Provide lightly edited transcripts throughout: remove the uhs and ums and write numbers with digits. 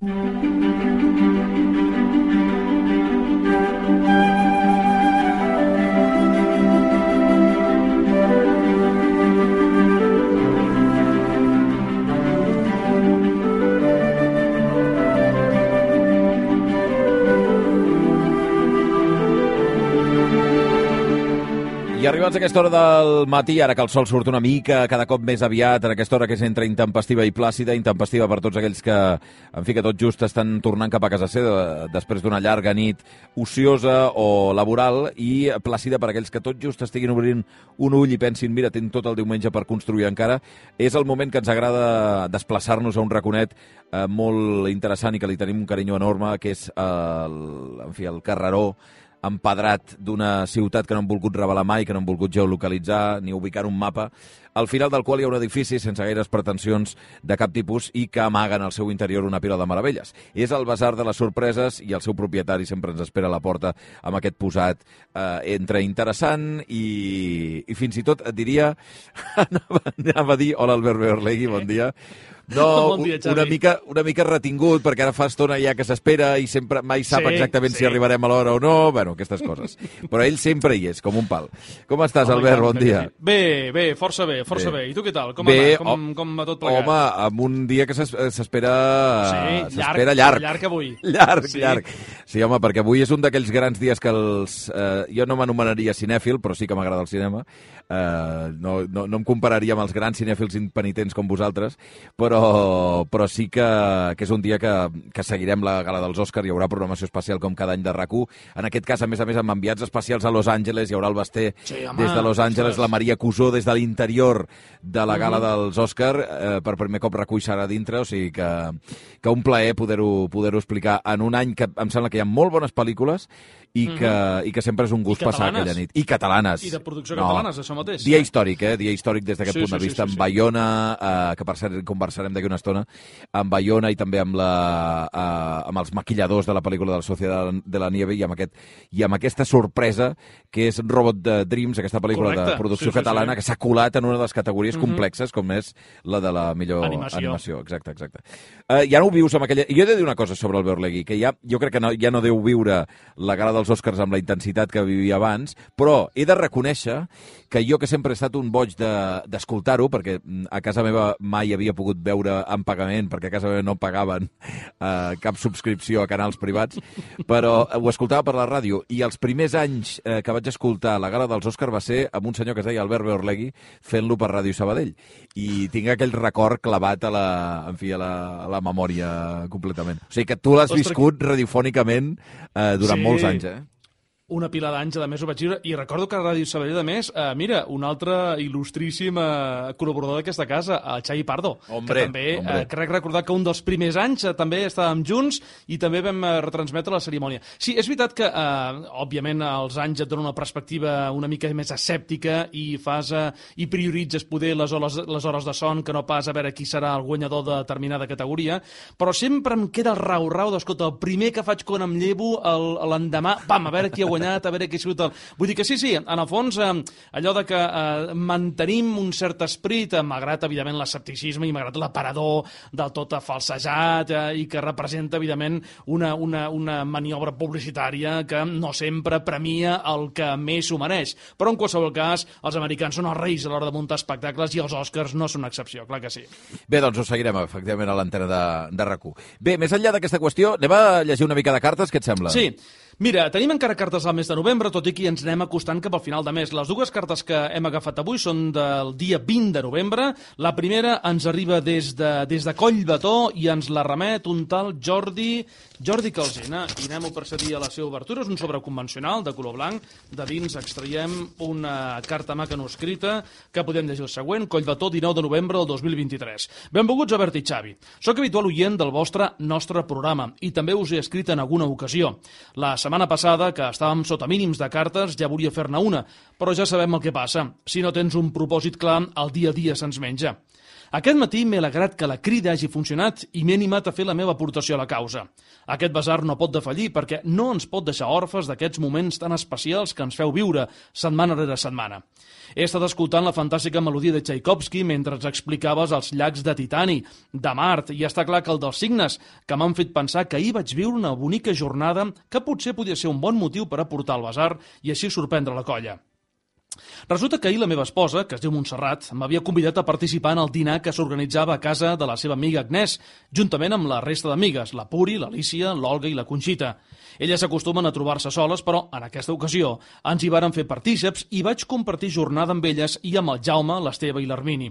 I arribats a aquesta hora del matí, ara que el sol surt una mica cada cop més aviat, en aquesta hora que és entre intempestiva i plàcida, intempestiva per tots aquells que, en fi, que tot just estan tornant cap a casa seva després d'una llarga nit ociosa o laboral, i plàcida per aquells que tot just estiguin obrint un ull i pensin, mira, tinc tot el diumenge per construir encara. És el moment que ens agrada desplaçar-nos a un raconet molt interessant i que li tenim un carinyo enorme, que és el carreró empedrat d'una ciutat que no han volgut revelar mai, que no han volgut geolocalitzar ni ubicar un mapa, al final del qual hi ha un edifici sense gaires pretensions de cap tipus i que amaguen al seu interior una pila de meravelles. És el Basar de les Sorpreses i el seu propietari sempre ens espera a la porta amb aquest posat entre interessant i fins i tot et diria, anava a dir, hola Albert Beorlegui, bon dia. No, bon dia, una mica retingut, perquè ara fa estona ja que s'espera i sempre mai sap exactament si arribarem a l'hora o no, bueno, aquestes coses. Però ell sempre hi és, com un pal. Com estàs, Albert? Bon dia. Bé, força bé. I tu què tal? Com va tot plegat? Home, amb un dia que s'espera llarg. Llarg avui. Llarg. Sí, home, perquè avui és un d'aquells grans dies que jo no m'anomenaria cinèfil, però sí que m'agrada el cinema. No em compararia amb els grans cinèfils impenitents com vosaltres, però sí que és un dia que seguirem la gala dels Òscars. Hi haurà programació especial com cada any de RAC1. En aquest cas, a més, amb enviats especials a Los Angeles. Hi haurà el Basté des de Los Angeles, la Maria Cusó des de l'interior de la gala dels Òscars. Per primer cop RAC1 serà dintre, o sigui que un plaer poder-ho explicar en un any que em sembla que hi ha molt bones pel·lícules i que sempre és un gust passar aquella nit. I catalanes. I de producció catalanes, això mateix. Dia històric, dia històric des d'aquest punt de vista. En Baiona, que per cert conversarem d'aquí una estona, en Baiona i també amb els maquilladors de la pel·lícula de la Sociedad de la Nieve i amb aquesta sorpresa que és Robot Dreams, aquesta pel·lícula de producció catalana que s'ha colat en una de les categories complexes com és la de la millor animació. Exacte. Ja no ho vius amb aquella... I jo he de dir una cosa sobre el Beorlegui, que jo crec que ja no deu viure la gala dels Òscars amb la intensitat que vivia abans, però he de reconèixer que jo, que sempre he estat un boig d'escoltar-ho, perquè a casa meva mai havia pogut veure en pagament, perquè a casa meva no pagaven cap subscripció a canals privats, però ho escoltava per la ràdio, i els primers anys que vaig escoltar la gala dels Òscars va ser amb un senyor que es deia Albert Beorlegui fent-lo per Ràdio Sabadell, i tinc aquell record clavat a la memòria completament. O sigui que tu l'has viscut radiofònicament durant molts anys, Una pila d'anys, a més, ho vaig viure. I recordo que a Ràdio Sabadell, a més, mira, un altre il·lustríssim col·laborador d'aquesta casa, el Xavi Pardo, que també crec recordar que un dels primers anys també estàvem junts i també vam retransmetre la cerimònia. Sí, és veritat que, òbviament, els anys et donen una perspectiva una mica més escèptica i i prioritzes poder les hores de son que no pas a veure qui serà el guanyador de determinada categoria, però sempre em queda el rau d'escolta, el primer que faig quan em llevo l'endemà, a veure qui ha guanyat, a veure què ha sigut Vull dir que sí, en el fons, allò de que mantenim un cert esperit, malgrat, evidentment, l'escepticisme i malgrat l'aparador del tot falsejat i que representa, evidentment, una maniobra publicitària que no sempre premia el que més s'ho mereix. Però, en qualsevol cas, els americans són els reis a l'hora de muntar espectacles i els Oscars no són una excepció, clar que sí. Bé, doncs ho seguirem, efectivament, a l'antena de RAC1. Bé, més enllà d'aquesta qüestió, anem a llegir una mica de cartes, què et sembla? Sí. Mira, tenim encara cartes al mes de novembre, tot i que ens anem acostant cap al final de mes. Les dues cartes que hem agafat avui són del dia 20 de novembre. La primera ens arriba des de Collbató i ens la remet un tal Jordi Calsina. I anem a procedir a la seva obertura. És un sobre convencional de color blanc. De dins extraiem una carta manuscrita que podem llegir el següent. Collbató, 19 de novembre del 2023. Benvolguts, Albert i Xavi. Soc habitual oient del nostre programa i també us he escrit en alguna ocasió. La setmana passada, que estàvem sota mínims de cartes, ja volia fer-ne una, però ja sabem el que passa. Si no tens un propòsit clar, el dia a dia se'ns menja. Aquest matí m'he alegrat que la crida hagi funcionat i m'he animat a fer la meva aportació a la causa. Aquest basar no pot defallir perquè no ens pot deixar orfes d'aquests moments tan especials que ens feu viure setmana rere setmana. He estat escoltant la fantàstica melodia de Tchaikovsky mentre ens explicaves els llacs de Titani, de Mart, i està clar que el dels signes, que m'han fet pensar que ahir vaig viure una bonica jornada que potser podia ser un bon motiu per aportar al basar i així sorprendre la colla. Resulta que ahir la meva esposa, que es diu Montserrat, m'havia convidat a participar en el dinar que s'organitzava a casa de la seva amiga Agnès, juntament amb la resta d'amigues, la Puri, l'Alícia, l'Olga i la Conxita. Elles s'acostumen a trobar-se soles, però en aquesta ocasió ens hi varen fer partíceps i vaig compartir jornada amb elles i amb el Jaume, l'Esteve i l'Hermini.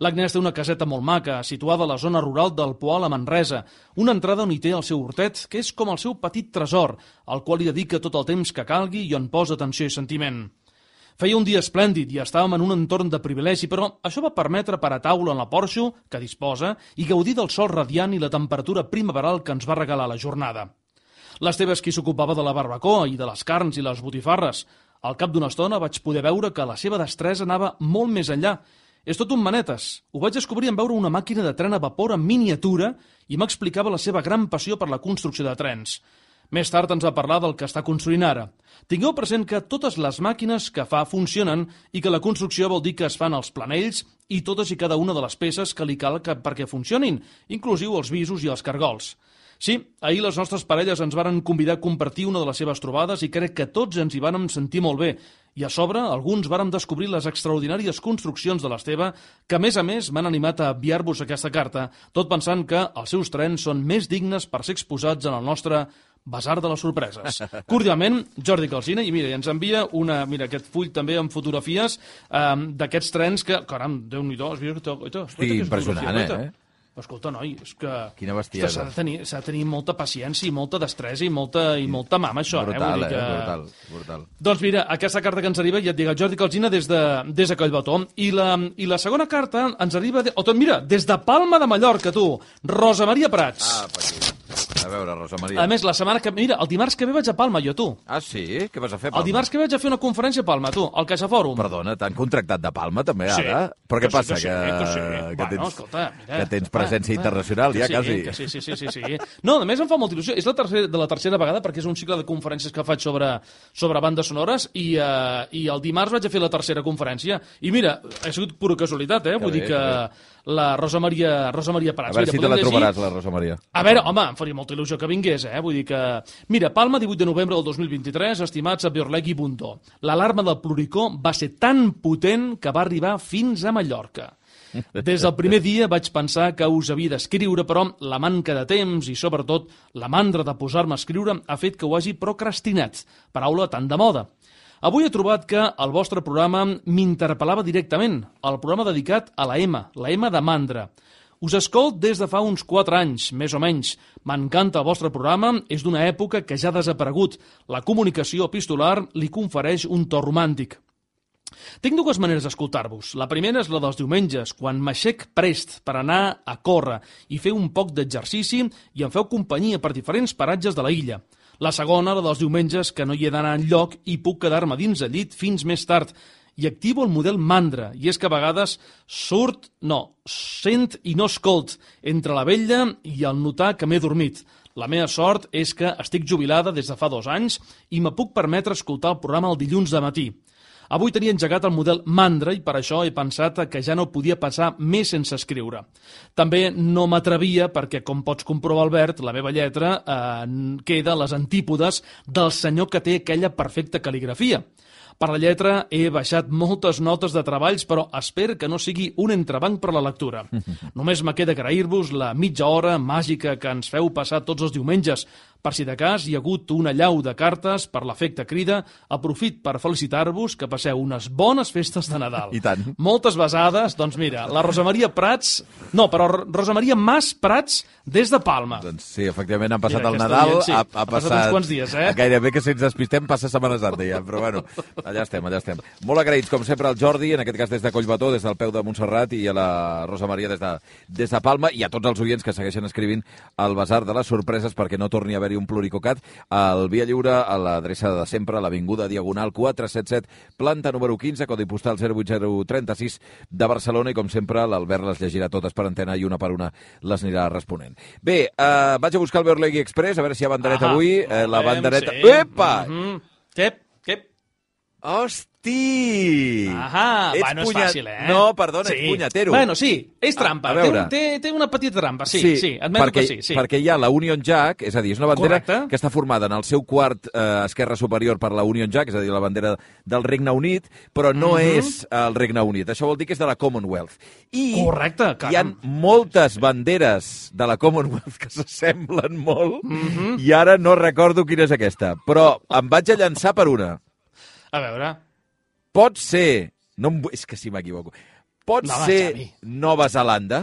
L'Agnès té una caseta molt maca, situada a la zona rural del Poal a Manresa, una entrada on hi té el seu hortet, que és com el seu petit tresor, al qual hi dedica tot el temps que calgui i on posa atenció i sentiment. Feia un dia esplèndid i estàvem en un entorn de privilegi, però això va permetre parar taula en la porxo que disposa i gaudir del sol radiant i la temperatura primaveral que ens va regalar la jornada. L'Esteve és qui s'ocupava de la barbacoa i de les carns i les botifarres. Al cap d'una estona vaig poder veure que la seva destresa anava molt més enllà. És tot un manetes. Ho vaig descobrir en veure una màquina de tren a vapor en miniatura i m'explicava la seva gran passió per la construcció de trens. Més tard ens va parlar del que està construint ara. Tingueu present que totes les màquines que fa funcionen i que la construcció vol dir que es fan els planells i totes i cada una de les peces que li cal perquè funcionin, inclusiu els visos i els cargols. Sí, ahir les nostres parelles ens varen convidar a compartir una de les seves trobades i crec que tots ens hi vàrem sentir molt bé. I a sobre, alguns vàrem descobrir les extraordinàries construccions de l'Esteve que, a més, m'han animat a enviar-vos aquesta carta, tot pensant que els seus trens són més dignes per ser exposats en el nostre Basar de les sorpreses. Cordialment, Jordi Calsina, i mira, ens envia aquest full també amb fotografies d'aquests trens que, caram, Déu-n'hi-do, has vist? Hosti, impressionant, Escolta, noi, és que... Quina bestiesa. S'ha de tenir molta paciència i molta destresa i molta mama, això. Brutal, vull dir que... brutal. Doncs mira, aquesta carta que ens arriba, ja et dic, el Jordi Calsina des de Collbató. I la segona carta ens arriba... Mira, des de Palma de Mallorca, tu. Rosa Maria Prats. Per aquí. A veure, Rosa Maria. A més, la setmana que... Mira, el dimarts que ve vaig a Palma, jo, tu. Ah, sí? Què vas a fer a Palma? El dimarts que vaig a fer una conferència a Palma, tu, al CaixaFòrum. Perdona, t'han contractat de Palma, també, ara? Sí. Però què passa? Que tens presència internacional, ja, quasi. Sí. No, a més em fa molta il·lusió. És la tercera vegada, perquè és un cicle de conferències que faig sobre bandes sonores, i el dimarts vaig a fer la tercera conferència. I mira, ha sigut pura casualitat, Vull dir que la Rosa Maria Prats. A veure si te la trobaràs, la Rosa Maria. A veure, home, em faria molta il·lusió que vingués, Vull dir que... Mira, Palma, 18 de novembre del 2023, estimats a Biorleg i Bundó. L'alarma del Pluricó va ser tan potent que va arribar fins a Mallorca. Des del primer dia vaig pensar que us havia d'escriure, però la manca de temps i, sobretot, la mandra de posar-me a escriure ha fet que ho hagi procrastinat, paraula tan de moda. Avui he trobat que el vostre programa m'interpel·lava directament, el programa dedicat a la M de mandra. Us escolt des de fa uns 4 anys, més o menys. M'encanta el vostre programa, és d'una època que ja ha desaparegut. La comunicació epistolar li confereix un to romàntic. Tinc 2 maneres d'escoltar-vos. La primera és la dels diumenges, quan m'aixec prest per anar a córrer i fer un poc d'exercici i em feu companyia per diferents paratges de la illa. La segona, la dels diumenges, que no hi he d'anar enlloc i puc quedar-me dins el llit fins més tard. I activo el model mandra, i és que a vegades sent i no escolt entre la vella i el notar que m'he dormit. La meva sort és que estic jubilada des de fa 2 anys i me puc permetre escoltar el programa el dilluns de matí. Avui tenia engegat el model mandra i per això he pensat que ja no podia passar més sense escriure. També no m'atrevia perquè, com pots comprovar, Albert, la meva lletra queda a les antípodes del senyor que té aquella perfecta cal·ligrafia. Per la lletra he baixat moltes notes de treballs, però espero que no sigui un entrebanc per la lectura. Només me queda agrair-vos la mitja hora màgica que ens feu passar tots els diumenges. Per si de cas hi ha hagut una llau de cartes per l'efecte crida, aprofit per felicitar-vos que passeu unes bones festes de Nadal. I tant. Moltes besades, doncs mira, la Rosa Maria Prats... No, però Rosa Maria Mas Prats des de Palma. Doncs sí, efectivament, han passat el Nadal, ha passat uns quants dies, Gairebé que si ens despistem passa Setmana Santa ja, però bueno, Allà estem. Molt agraïts, com sempre, al Jordi, en aquest cas des de Collbató, des del peu de Montserrat, i a la Rosa Maria des de Palma, i a tots els oients que segueixen escrivint al Basar de les Sorpreses perquè no torni a haver-hi un pluricocat al Via Lliure, a l'adreça de sempre, a l'Avinguda Diagonal 477, planta número 15, codi postal 08036 de Barcelona, i com sempre l'Albert les llegirà totes per antena i una per una les anirà responent. Bé, vaig a buscar el Berlegui Express, a veure si hi ha bandereta avui. La bandereta... Sí. Epa! Què? Hosti! Bueno, és fàcil, No, perdona, ets punyatero. Bueno, sí, és trampa. Té una petita trampa, sí, admeto que sí. Perquè hi ha la Union Jack, és a dir, és una bandera que està formada en el seu quart esquerra superior per la Union Jack, és a dir, la bandera del Regne Unit, però no és el Regne Unit. Això vol dir que és de la Commonwealth. Correcte, caram. Hi ha moltes banderes de la Commonwealth que s'assemblen molt, i ara no recordo quina és aquesta, però em vaig a llançar per una. A veure... Pot ser... És que si m'equivoco. Pot ser Nova Zelanda?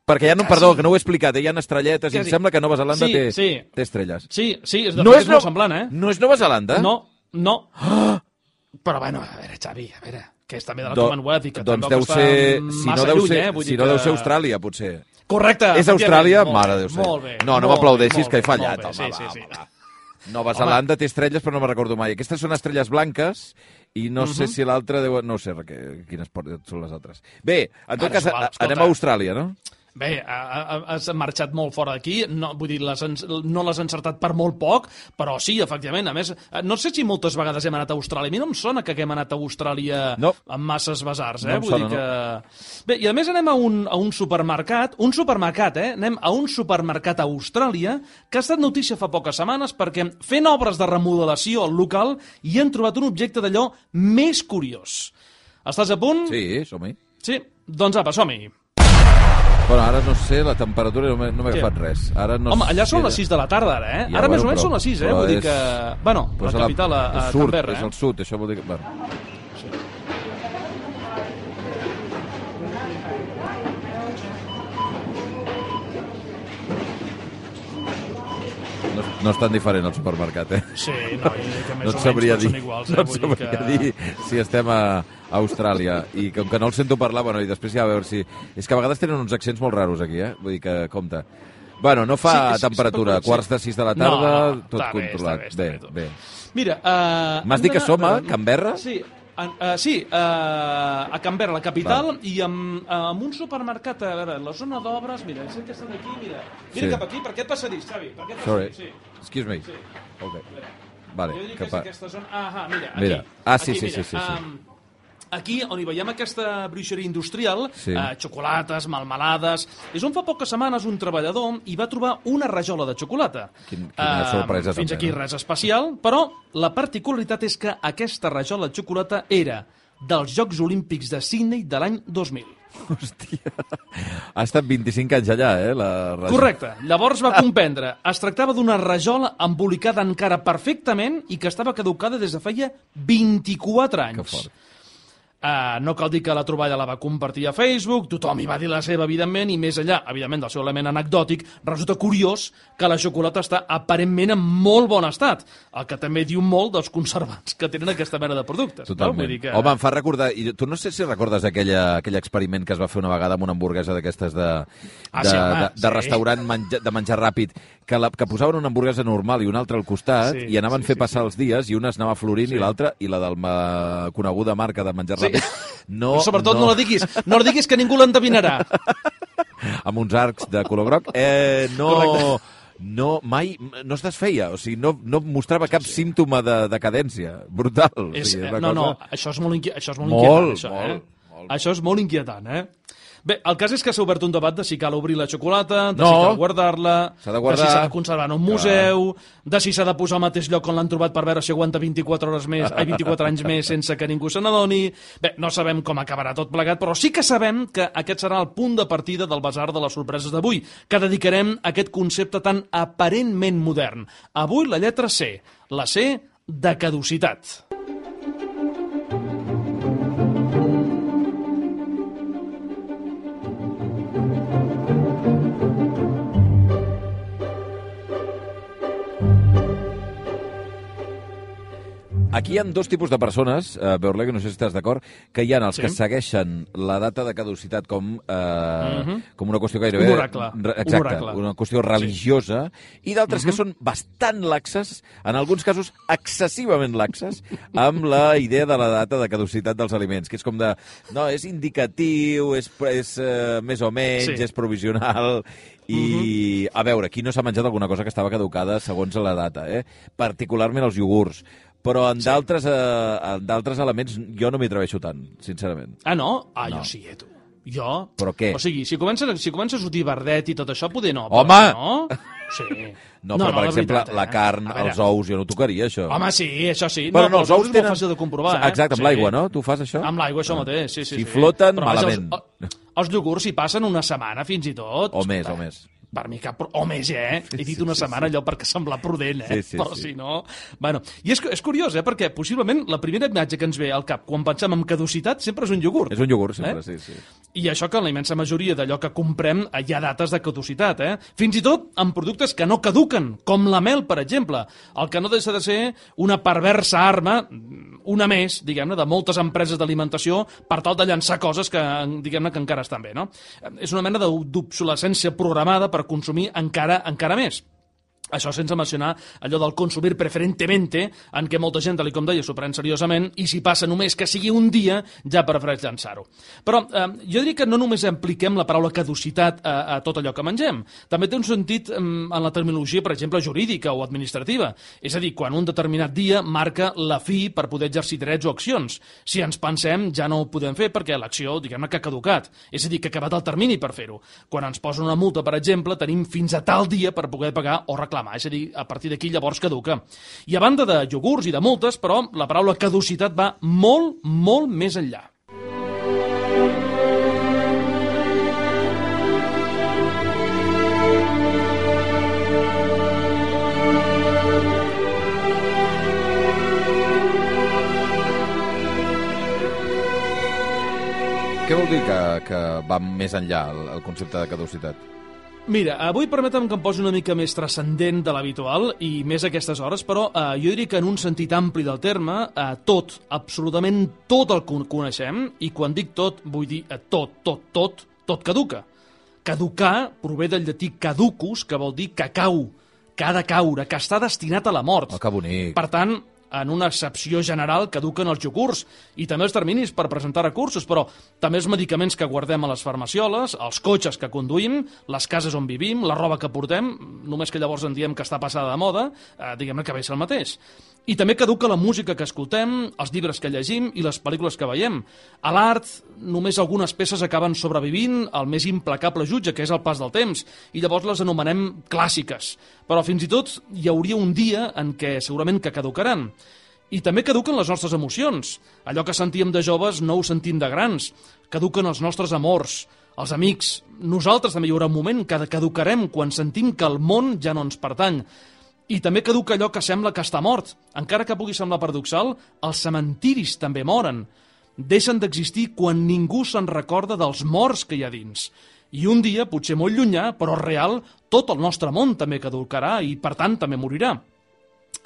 Perquè perdó, que no ho he explicat, hi ha estrelletes i em sembla que Nova Zelanda té estrelles. Sí, és molt semblant, No és Nova Zelanda? No. Però bueno, a veure, Xavi, que és també de la Commonwealth i que doncs tampoc està massa lluny, Si no deu ser Austràlia, potser. Correcte. És Austràlia? Mare de Déu. Molt bé. No m'aplaudeixis, que he fallat. Sí. Nova Zelanda té estrelles, però no me'n recordo mai. Aquestes són estrelles blanques i no sé si l'altra deu... No sé quines són les altres. Bé, en tot cas, anem a Austràlia, no? Bé, has marxat molt fora d'aquí, no l'has encertat per molt poc, però sí, efectivament. A més, no sé si moltes vegades hem anat a Austràlia. A mi no em sona que haguem anat a Austràlia amb masses basars, No em sona, no. Bé, i a més anem a un supermercat, anem a un supermercat a Austràlia que ha estat notícia fa poques setmanes perquè fent obres de remodelació al local hi han trobat un objecte d'allò més curiós. Estàs a punt? Sí, som-hi. Sí? Doncs apa, som-hi. Bueno, ara no sé, la temperatura no m'he agafat res. Home, allà són les 6 de la tarda, ara, Ja, ara més o menys són les 6, Vull dir que... Bueno, la capital, a Canberra, És el sud, això vol dir que... Bueno. No és tan diferent el supermercat, Sí, no, i que més no et sabria dir, iguals, no et sabria dir si estem a Austràlia. I com que no el sento parlar, bueno, i després ja a veure si... És que a vegades tenen uns accents molt raros aquí, Vull dir que, compte. Bueno, no fa temperatura, quarts de 6 de la tarda, tot controlat. Bé. Mira... M'has dit que som a Canberra? Sí, a Canberra, la capital, i amb un supermercat, a veure, la zona d'obres, mira, sé que estan aquí, mira cap aquí, per aquest passadís, Xavi, per aquest passadís, sí. Excuse me. Sí. Ok. Vale. Jo diria que és aquesta zona... Mira, aquí. Sí. Aquí, on hi veiem aquesta bruixeria industrial, xocolates, melmelades... És on fa poques setmanes un treballador hi va trobar una rajola de xocolata. Quina sorpresa. Fins aquí res especial, però la particularitat és que aquesta rajola de xocolata era dels Jocs Olímpics de Sydney de l'any 2000. Hòstia, ha estat 25 anys allà, la rajola. Correcte. Llavors va comprendre. Es tractava d'una rajola embolicada encara perfectament i que estava caducada des de feia 24 anys. Que fort. No cal dir que la troballa la va compartir a Facebook, tothom hi va dir la seva, evidentment, i més enllà, evidentment, del seu element anecdòtic, resulta curiós que la xocolata està aparentment en molt bon estat, el que també diu molt dels conservants que tenen aquesta mena de productes. Totalment. No? Vull dir que... Home, em fa recordar... I tu no sé si recordes aquell experiment que es va fer una vegada amb una hamburguesa d'aquestes de restaurant de menjar ràpid, que posaven una hamburguesa normal i una altra al costat i anaven fer passar els dies i una es anava florint i l'altra, i la del coneguda marca de menjar ràpid, no, però sobretot no la diguis que ningú l'endevinarà. Amb uns arcs de color groc. Mai no es desfeia, o sigui, no mostrava cap símptoma de decadència. Brutal. Això és molt inquietant. Això és molt inquietant, Bé, el cas és que s'ha obert un debat de si cal obrir la xocolata, de si cal guardar-la, de si s'ha de conservar en un museu, de si s'ha de posar al mateix lloc on l'han trobat per veure si aguanta 24 anys més sense que ningú se n'adoni. Bé, no sabem com acabarà tot plegat, però sí que sabem que aquest serà el punt de partida del Basar de les Sorpreses d'avui, que dedicarem a aquest concepte tan aparentment modern. Avui la lletra C, la C de caducitat. aquí hi ha dos tipus de persones, Beurle, no sé si estàs d'acord, que hi ha els que segueixen la data de caducitat com una qüestió gairebé... Un oracle. Exacte, una qüestió religiosa, i d'altres que són bastant laxes, en alguns casos excessivament laxes, amb la idea de la data de caducitat dels aliments, que és com de... No, és indicatiu, és més o menys, és provisional... I, a veure, aquí no s'ha menjat alguna cosa que estava caducada segons la data, particularment els iogurts. Però en d'altres elements jo no m'hi atreveixo tant, sincerament. Ah, no? Ah, jo sí, tu. Jo? Però què? O sigui, si comença a sortir verdet i tot això, poder no. Home! No? Sí. No, però, per exemple, la carn, els ous, jo no tocaria, això. Home, sí, això sí. Però no, els ous és molt fàcil de comprovar, Exacte, amb l'aigua, no? Tu fas això? Amb l'aigua, això mateix, sí. Si floten, malament. Els iogurts hi passen una setmana, fins i tot. O més. Per mi cap... O més, He dit una setmana allò perquè sembla prudent, Però si no... Bueno, i és curiós, perquè possiblement la primera imatge que ens ve al cap quan pensem en caducitat sempre és un iogurt. És un iogurt, sempre, sí. I això que en la immensa majoria d'allò que comprem hi ha dates de caducitat, Fins i tot en productes que no caduquen, com la mel, per exemple. El que no deixa de ser una perversa arma, una més, diguem-ne, de moltes empreses d'alimentació per tal de llançar coses que, diguem-ne, que encara estan bé, no? És una mena d'obsolescència programada per consumir encara més. Això sense mencionar allò del consumir preferentemente, en què molta gent, tal com deia, s'ho pren seriosament, i si passa només que sigui un dia, ja prefereix llançar-ho. Però jo diria que no només apliquem la paraula caducitat a tot allò que mengem. També té un sentit en la terminologia, per exemple, jurídica o administrativa. És a dir, quan un determinat dia marca la fi per poder exercir drets o accions. Si ens pensem, ja no ho podem fer perquè l'acció, diguem-ne, que ha caducat. És a dir, que ha acabat el termini per fer-ho. Quan ens posen una multa, per exemple, tenim fins a tal dia per poder pagar o reclamar. És a dir, a partir d'aquí llavors caduca. I a banda de iogurts i de multes, però, la paraula caducitat va molt, molt més enllà. Què vol dir que va més enllà el concepte de caducitat? Mira, avui permetem que em posi una mica més transcendent de l'habitual i més a aquestes hores, però jo diria que en un sentit ampli del terme, tot, absolutament tot el que coneixem, i quan dic tot, vull dir tot caduca. Caducar prové del llatí caducus, que vol dir que cau, que ha de caure, que està destinat a la mort. Oh, que bonic. Per tant, en una excepció general caduquen els iogurts i també els terminis per presentar recursos, però també els medicaments que guardem a les farmacioles, els cotxes que conduïm, les cases on vivim, la roba que portem, només que llavors en diem que està passada de moda, diguem-ne que ve a ser el mateix. I també caduca la música que escoltem, els llibres que llegim i les pel·lícules que veiem. A l'art, només algunes peces acaben sobrevivint al més implacable jutge, que és el pas del temps, i llavors les anomenem clàssiques. Però fins i tot hi hauria un dia en què segurament que caducaran. I també caduquen les nostres emocions. Allò que sentíem de joves no ho sentim de grans. Caduquen els nostres amors, els amics. Nosaltres també hi haurà un moment que caducarem quan sentim que el món ja no ens pertany. I també caduca allò que sembla que està mort. Encara que pugui semblar paradoxal, els cementiris també moren. Deixen d'existir quan ningú se'n recorda dels morts que hi ha dins. I un dia, potser molt llunyà, però real, tot el nostre món també caducarà i, per tant, també morirà.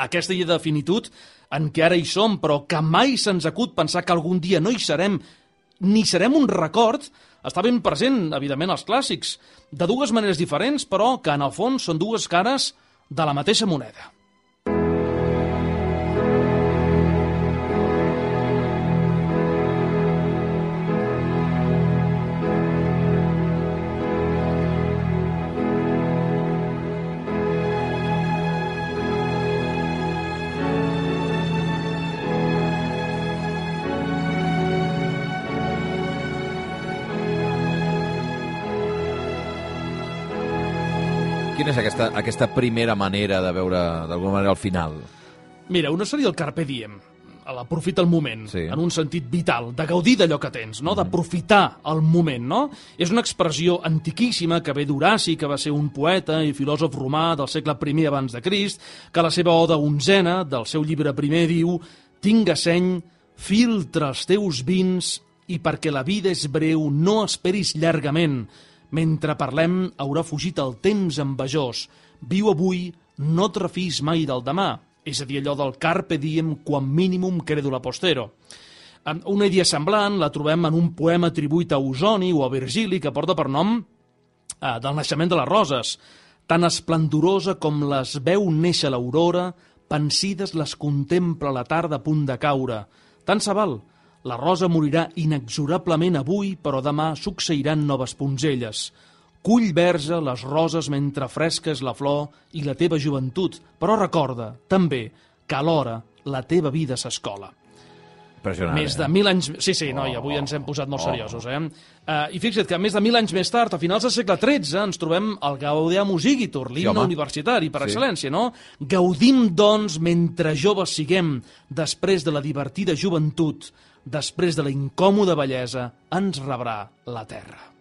Aquesta idea de finitud en què ara hi som, però que mai se'ns acut pensar que algun dia no hi serem, ni serem un record, està ben present, evidentment, als clàssics, de dues maneres diferents, però que en el fons són dues cares de la mateixa moneda. Quina és aquesta primera manera de veure, d'alguna manera, el final? Mira, una seria el carpe diem, l'aprofita el moment, sí, en un sentit vital, de gaudir d'allò que tens, no? D'aprofitar el moment, no? És una expressió antiquíssima que ve d'Horaci, que va ser un poeta i filòsof romà del segle I abans de Crist, que a la seva oda onzena, del seu llibre primer, diu: «Tinga seny, filtra els teus vins, i perquè la vida és breu, no esperis llargament. Mentre parlem, haurà fugit el temps envejós. Viu avui, no et refis mai del demà. és a dir, allò del carpe diem quam minimum credula postero. Una idea semblant la trobem en un poema atribuït a Ausoni o a Virgili que porta per nom del naixement de les roses. Tan esplendorosa com les veu néixer l'aurora, pensides les contempla la tarda a punt de caure. Tant se val, la rosa morirà inexorablement avui, però demà succeiran noves punzelles. Cull verge les roses mentre fresca és la flor i la teva joventut, però recorda, també, que alhora la teva vida s'escola. Més de 1.000 anys... Sí, noi, avui ens hem posat molt seriosos, I fixa't que més de 1.000 anys més tard, a finals del segle XIII, ens trobem el Gaudeamus Igitur, l'himne universitari per excel·lència, no? Gaudim, doncs, mentre joves siguem, després de la divertida joventut, després de la incòmoda bellesa, ens rebrà la terra.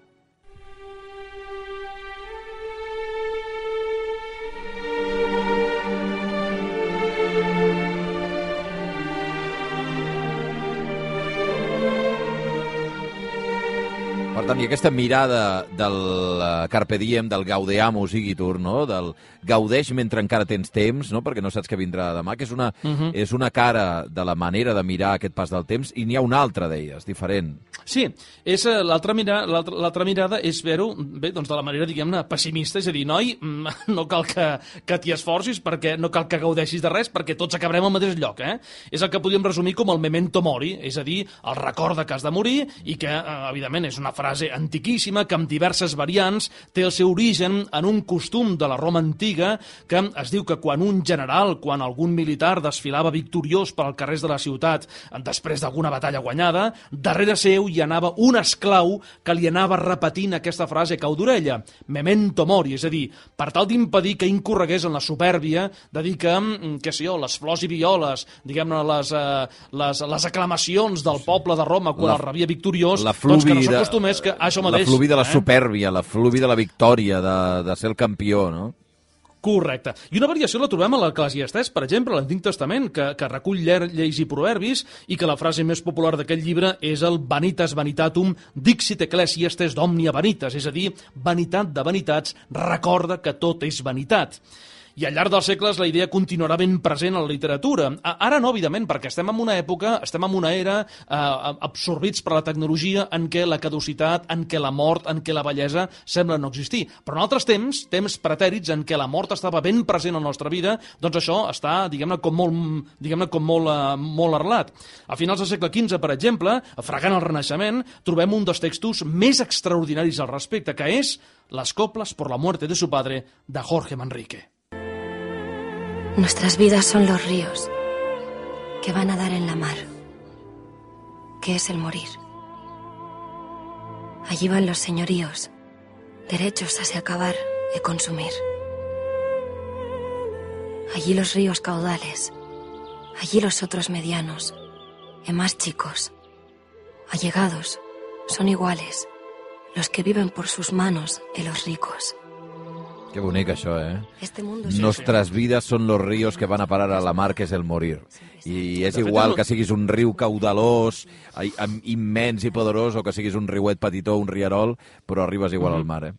Per tant, i aquesta mirada del Carpe Diem, del Gaudeamus Igitur, no? Del gaudeix mentre encara tens temps, no? Perquè no saps què vindrà demà, que és una cara de la manera de mirar aquest pas del temps, i n'hi ha una altra d'elles, diferent. Sí, l'altra mirada és veure-ho doncs de la manera, diguem-ne, pessimista, és a dir, noi, no cal que t'hi esforcis, perquè no cal que gaudeixis de res, perquè tots acabarem al mateix lloc, És el que podríem resumir com el memento mori, és a dir, el record que has de morir, i que, evidentment, és una frase antiquíssima que amb diverses variants té el seu origen en un costum de la Roma antiga que es diu que quan un general, quan algun militar desfilava victoriós per als carrers de la ciutat després d'alguna batalla guanyada, darrere seu hi anava un esclau que li anava repetint aquesta frase cau d'orella, memento mori, és a dir, per tal d'impedir que incorregués en la supèrbia de dir que, les flors i violes, diguem-ne, les aclamacions del poble de Roma quan el rebia victoriós, doncs que no s'acostumés que això mateix. La fluvi de la supèrbia, la fluvi de la victòria, de ser el campió, no? Correcte. I una variació la trobem a l'Eclesiastès, per exemple, a l'Antic Testament, que recull lleis i proverbis, i que la frase més popular d'aquest llibre és el vanitas vanitatum dixit ecclesiastes d'omnia vanitas, és a dir, vanitat de vanitats, recorda que tot és vanitat. I al llarg dels segles la idea continuarà ben present a la literatura. Ara no, evidentment, perquè estem en una època, estem en una era absorbits per la tecnologia en què la caducitat, en què la mort, en què la bellesa sembla no existir. Però en altres temps pretèrits en què la mort estava ben present a la nostra vida, doncs això està, diguem-ne, com molt arrelat. A finals del segle XV, per exemple, fregant el Renaixement, trobem un dels textos més extraordinaris al respecte, que és Las coplas por la muerte de su padre, de Jorge Manrique. Nuestras vidas son los ríos que van a dar en la mar, que es el morir. Allí van los señoríos, derechos a se acabar e consumir. Allí los ríos caudales, allí los otros medianos, e más chicos. Allegados son iguales, los que viven por sus manos e los ricos. Que bonic, això, Nostres vides són los ríos que van a parar a la mar, que és el morir. I és igual que siguis un riu caudalós, immens i poderós, o que siguis un riuet petitó, un rierol, però arribes igual al mar,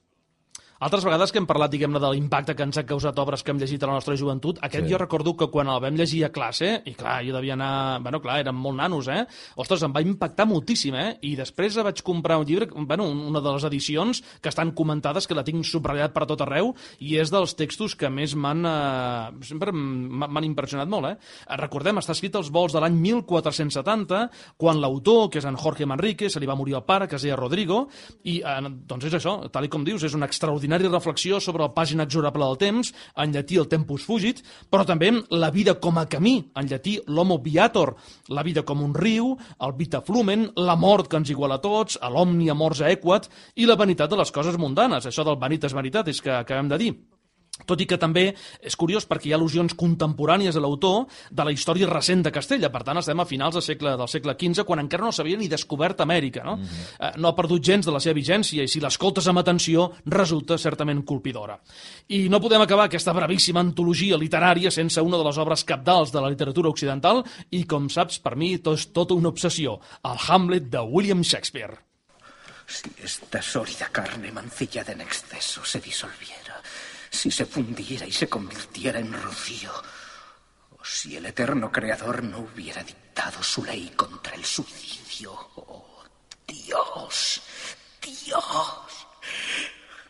Altres vegades que hem parlat, diguem-ne, de l'impacte que ens han causat obres que hem llegit a la nostra joventut, jo recordo que quan el vam llegir a classe, i clar, jo devia anar... érem molt nanos, Ostres, em va impactar moltíssim, I després vaig comprar un llibre, una de les edicions que estan comentades, que la tinc subratllat per tot arreu, i és dels textos que més sempre m'han impressionat molt, Recordem, està escrit als volts de l'any 1470, quan l'autor, que és en Jorge Manrique, se li va morir el pare, que es deia Rodrigo, i doncs és això, tal com dius, és una extraordinària reflexió sobre el pas inexorable del temps, en llatí el tempus fugit, però també la vida com a camí, en llatí l'homo viator, la vida com un riu, el vita flumen, la mort que ens iguala a tots, l'omnia mors aequat, i la vanitat de les coses mundanes, això del vanitas vanitatis que acabem de dir. Tot i que també és curiós perquè hi ha al·lusions contemporànies a l'autor de la història recent de Castella. Per tant, estem a finals del segle XV, quan encara no s'havia ni descobert Amèrica. No? No ha perdut gens de la seva vigència i si l'escoltes amb atenció resulta certament colpidora. I no podem acabar aquesta brevíssima antologia literària sense una de les obres cabdals de la literatura occidental i, com saps, per mi és tota una obsessió, el Hamlet de William Shakespeare. Si esta sólida carne mancillada en exceso se disolviera, si se fundiera y se convirtiera en rocío, Si el eterno creador no hubiera dictado su ley contra el suicidio. ¡Oh, Dios! ¡Dios!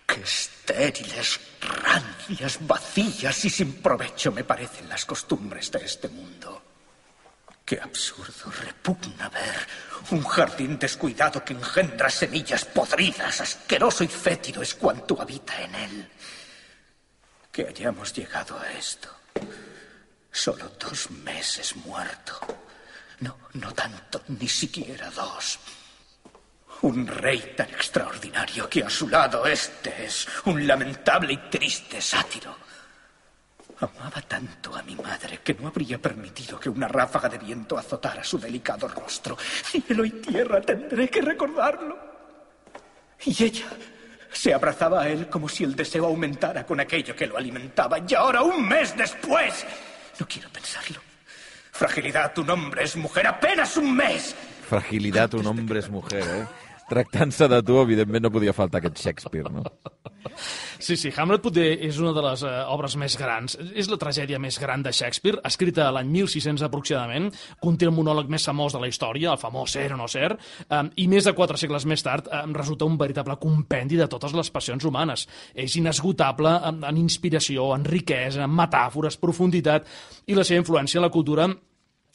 ¡Qué estériles, rancias, vacías y sin provecho me parecen las costumbres de este mundo! ¡Qué absurdo, repugna ver un jardín descuidado que engendra semillas podridas! Asqueroso y fétido es cuanto habita en él. Que hayamos llegado a esto. Solo 2 meses muerto. No tanto, ni siquiera 2. Un rey tan extraordinario que a su lado este es un lamentable y triste sátiro. Amaba tanto a mi madre que no habría permitido que una ráfaga de viento azotara su delicado rostro. Cielo y tierra, tendré que recordarlo. Y ella se abrazaba a él como si el deseo aumentara con aquello que lo alimentaba. Y ahora, 1 mes después... No quiero pensarlo. Fragilidad, un hombre es mujer, apenas 1 mes. Fragilitat, un hombre és mujer, eh? Tractant-se de tu, evidentment no podia faltar aquest Shakespeare, no? Sí, Hamlet potser és una de les obres més grans. És la tragèdia més gran de Shakespeare, escrita l'any 1600 aproximadament, conté el monòleg més famós de la història, el famós Ser o no ser, i més de 4 segles més tard resulta un veritable compendi de totes les passions humanes. És inesgotable en inspiració, en riquesa, en metàfores, profunditat, i la seva influència en la cultura,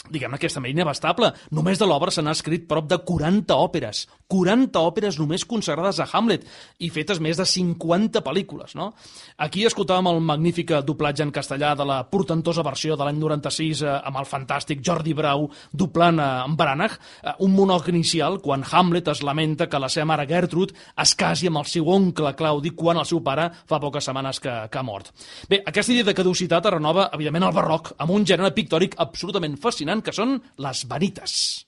diguem-ne que és també inabastable. Només de l'obra se n'ha escrit prop de 40 òperes. 40 òperes només consagrades a Hamlet i fetes més de 50 pel·lícules, no? Aquí escoltàvem el magnífic doblatge en castellà de la portentosa versió de l'any 96 amb el fantàstic Jordi Brau doblant en Branagh, un monòleg inicial quan Hamlet es lamenta que la seva mare Gertrude es casi amb el seu oncle Claudi quan el seu pare fa poques setmanes que ha mort. Bé, aquesta idea de caducitat es renova, evidentment, al barroc, amb un gènere pictòric absolutament fascinant que són les vanites.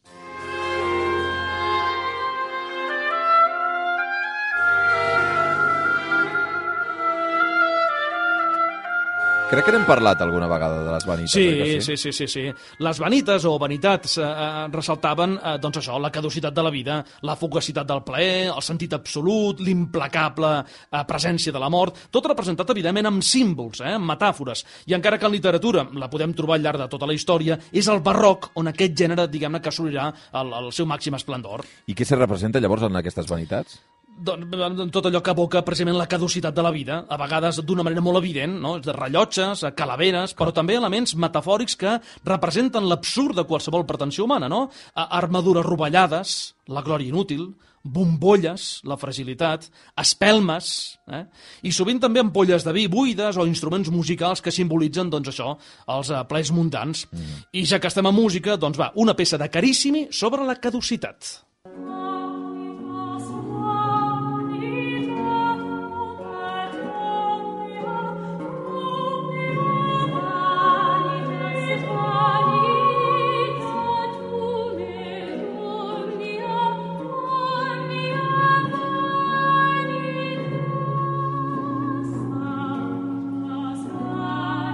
Crec que n'hem parlat alguna vegada de les vanites. Sí. Les vanites o vanitats ressaltaven, doncs això, la caducitat de la vida, la fugacitat del plaer, el sentit absolut, l'implacable presència de la mort, tot representat, evidentment, amb símbols, amb metàfores. I encara que en literatura la podem trobar al llarg de tota la història, és el barroc on aquest gènere, diguem-ne, que assolirà el seu màxim esplendor. I què se representa llavors en aquestes vanitats? Tot allò que evoca precisament la caducitat de la vida, a vegades d'una manera molt evident, no? De rellotges, calaveres, però també elements metafòrics que representen l'absurd de qualsevol pretensió humana, no? Armadures rovellades, la glòria inútil, bombolles, la fragilitat, espelmes, i sovint també ampolles de vi buides o instruments musicals que simbolitzen, doncs això, els plaers mundans. I ja que estem a música, doncs va, una peça de Carissimi sobre la caducitat.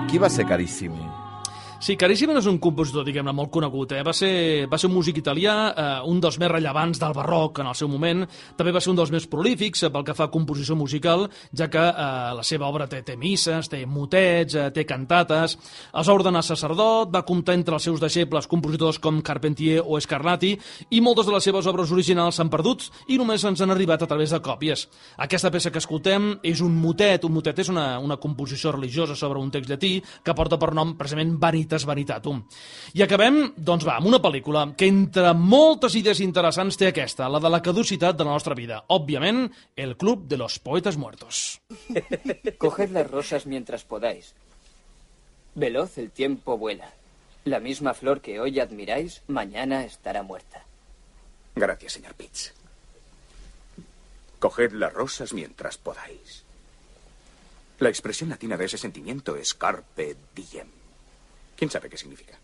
Qui va ser Carissimi? Sí, Carissimi no és un compositor, diguem-ne, molt conegut. Va ser un músic italià, un dels més rellevants del barroc en el seu moment. També va ser un dels més prolífics pel que fa a composició musical, ja que la seva obra té misses, té motets, té cantates. Es va ordenar sacerdot, va comptar entre els seus deixebles compositors com Carpentier o Scarlatti, i moltes de les seves obres originals s'han perdut i només ens han arribat a través de còpies. Aquesta peça que escoltem és un motet. Un motet és una composició religiosa sobre un text llatí que porta per nom precisament Vanitatum. I acabem, doncs va, amb una pel·lícula que entre moltes idees interessants té aquesta, la de la caducitat de la nostra vida. Òbviament, El Club de los Poetas Muertos. Coged las rosas mientras podáis. Veloz el tiempo vuela. La misma flor que hoy admiráis, mañana estará muerta. Gracias, señor Pitts. Coged las rosas mientras podáis. La expresión latina de ese sentimiento es carpe diem. ¿Quién sabe qué significa?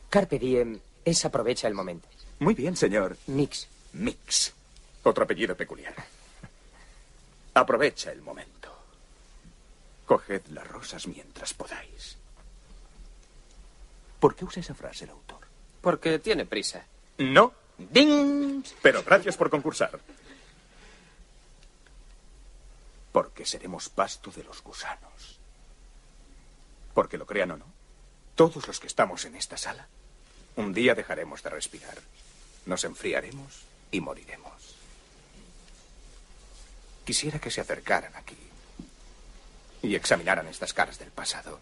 Carpe diem es aprovecha el momento. Muy bien, señor. Mix. Mix. Otro apellido peculiar. Aprovecha el momento. Coged las rosas mientras podáis. ¿Por qué usa esa frase el autor? Porque tiene prisa. No. ¡Ding! Pero gracias por concursar. Porque seremos pasto de los gusanos. Porque lo crean o no, todos los que estamos en esta sala, un día dejaremos de respirar. Nos enfriaremos y moriremos. Quisiera que se acercaran aquí y examinaran estas caras del pasado.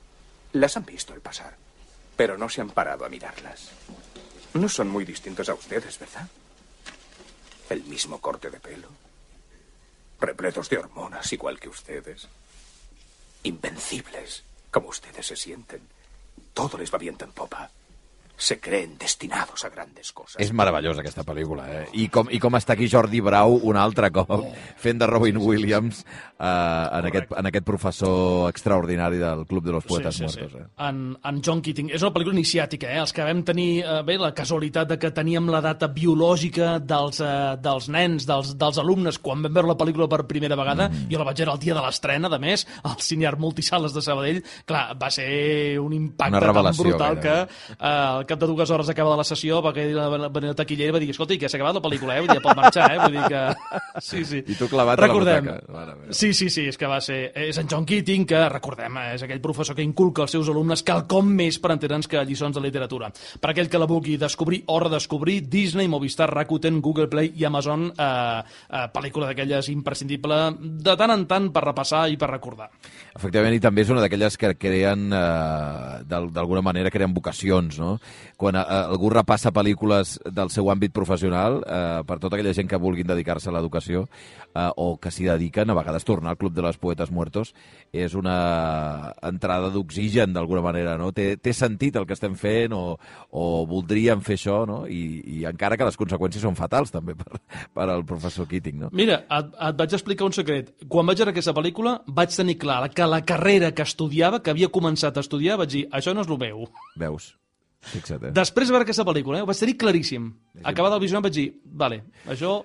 Las han visto al pasar, pero no se han parado a mirarlas. No son muy distintos a ustedes, ¿verdad? El mismo corte de pelo, repletos de hormonas igual que ustedes, invencibles como ustedes se sienten. Todo les va viento en popa. Se creen destinados a grandes coses. És meravellosa aquesta pel·lícula, eh? I com està aquí Jordi Brau un altre cop fent de Robin Williams en aquest professor extraordinari del Club de los Poetes Muertos. Sí. En John Keating. És una pel·lícula iniciàtica, eh? Els que vam tenir la casualitat de que teníem la data biològica dels nens, dels alumnes, quan vam veure la pel·lícula per primera vegada, jo la vaig veure el dia de l'estrena, de més, al Cineart Multisales de Sabadell. Clar, va ser un impacte tan brutal que al cap de 2 hores acaba de la sessió va venir el taquiller i va dir, escolta, que s'ha acabat la pel·lícula, vull dir, pot marxar, vull dir que... Sí. I tu clavat a la butaca. Sí, és que va ser... És en John Keating, que, recordem, és aquell professor que inculca als seus alumnes quelcom més per entendre'ns que lliçons de literatura. Per aquell que la vulgui descobrir o redescobrir, Disney, Movistar, Rakuten, Google Play i Amazon, pel·lícula d'aquelles imprescindible de tant en tant per repassar i per recordar. Efectivament, i també és una d'aquelles que creen, d'alguna manera, creen vocacions, no? Quan algú repassa pel·lícules del seu àmbit professional, per tota aquella gent que vulguin dedicar-se a l'educació o que s'hi dediquen, a vegades tornar al Club de los Poetes Muertos és una entrada d'oxigen, d'alguna manera, no? Té sentit el que estem fent o voldríem fer això, no? I encara que les conseqüències són fatals, també, per al professor Keating, no? Mira, et vaig explicar un secret. Quan vaig veure aquesta pel·lícula, vaig tenir clar que la carrera que estudiava, que havia començat a estudiar, vaig dir, això no és el meu. Veus? Fixa't, Després de veure aquesta pel·lícula, ho vaig tenir claríssim. Acabada el visionat vaig dir, vale, això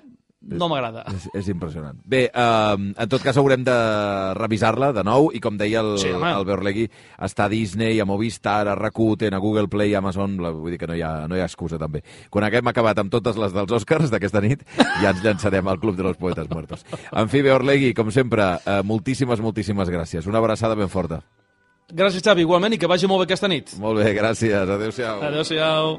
no m'agrada. És impressionant. Bé, en tot cas haurem de revisar-la de nou i com deia el Beorlegui, està a Disney, a Movistar, a Rakuten, a Google Play, a Amazon, vull dir que no hi ha excusa també. Quan haguem acabat amb totes les dels Oscars d'aquesta nit, ja ens llançarem al Club de los Poetes Muertos. En fi, Beorlegui, com sempre, moltíssimes gràcies. Una abraçada ben forta. Gràcies, Xavi, igualment, i que vagi molt bé aquesta nit. Molt bé, gràcies. Adéu-siau. Adéu-siau.